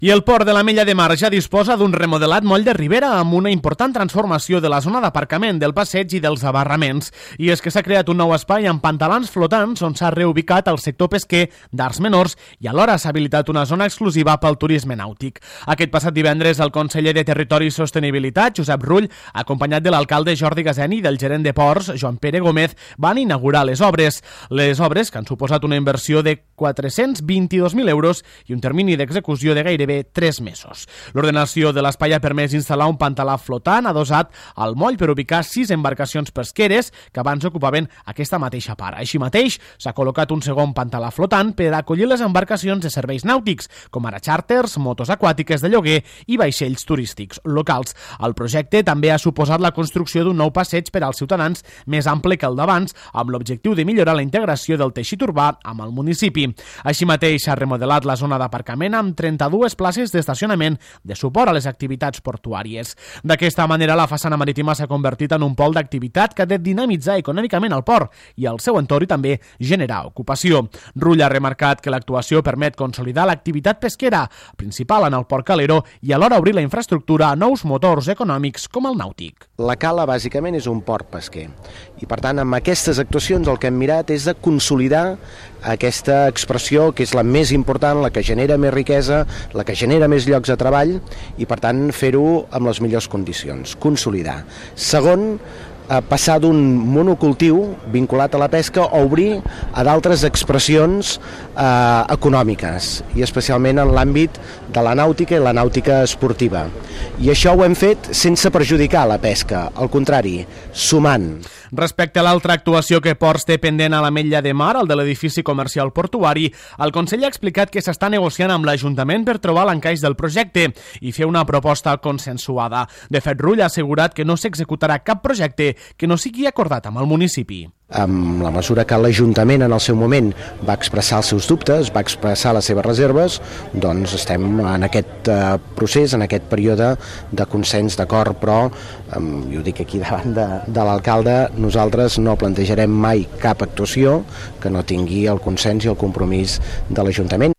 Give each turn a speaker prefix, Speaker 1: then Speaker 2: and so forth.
Speaker 1: I el port de l'Ametlla de Mar ja disposa d'un remodelat moll de Ribera amb una important transformació de la zona d'aparcament, del passeig i dels abarraments. I és que s'ha creat un nou espai amb pantalans flotants on s'ha reubicat el sector pesquer d'Arts Menors i alhora s'ha habilitat una zona exclusiva pel turisme nàutic. Aquest passat divendres el conseller de Territori i Sostenibilitat, Josep Rull, acompanyat de l'alcalde Jordi Gaseni i del gerent de ports, Joan Pere Gómez, van inaugurar les obres. Les obres que han suposat una inversió de 422.000 euros i un termini d'execució de gairebé 3 mesos. L'ordenació de l'espai ha permès instal·lar un pantalà flotant adossat al moll per ubicar 6 embarcacions pesqueres que abans ocupaven aquesta mateixa part. Així mateix, s'ha col·locat un segon pantalà flotant per acollir les embarcacions de serveis nàutics, com ara xàrters, motos aquàtiques de lloguer i vaixells turístics locals. El projecte també ha suposat la construcció d'un nou passeig per als ciutadans més ample que el d'abans, amb l'objectiu de millorar la integració del teixit urbà amb el municipi. Així mateix, s'ha remodelat la zona d'aparcament amb 32 places d'estacionament de suport a les activitats portuàries. D'aquesta manera, la façana marítima s'ha convertit en un pol d'activitat que ha de dinamitzar econòmicament el port i el seu entorn i també generar ocupació. Rull ha remarcat que l'actuació permet consolidar l'activitat pesquera principal en el port calero i alhora obrir la infraestructura a nous motors econòmics com el nàutic.
Speaker 2: La cala, bàsicament, és un port pesquer i, per tant, amb aquestes actuacions el que hem mirat és de consolidar aquesta expressió que és la més important, la que genera més riquesa, la que genera més llocs de treball i, per tant, fer-ho amb les millors condicions, consolidar. Segon, passar d'un monocultiu vinculat a la pesca a obrir a d'altres expressions econòmiques i especialment en l'àmbit de la nàutica i la nàutica esportiva. I això ho hem fet sense perjudicar la pesca, al contrari, sumant.
Speaker 1: Respecte a l'altra actuació que Ports té pendent a l'Ametlla de Mar, el de l'edifici comercial portuari, el Consell ha explicat que s'està negociant amb l'Ajuntament per trobar l'encaix del projecte i fer una proposta consensuada. De fet, Rull ha assegurat que no s'executarà cap projecte que no sigui acordat amb el municipi.
Speaker 2: En la mesura que l'Ajuntament en el seu moment va expressar els seus dubtes, va expressar les seves reserves, doncs estem en aquest procés, en aquest període de consens, d'acord, però jo ho dic aquí davant de l'alcalde, nosaltres no plantejarem mai cap actuació que no tingui el consens i el compromís de l'Ajuntament.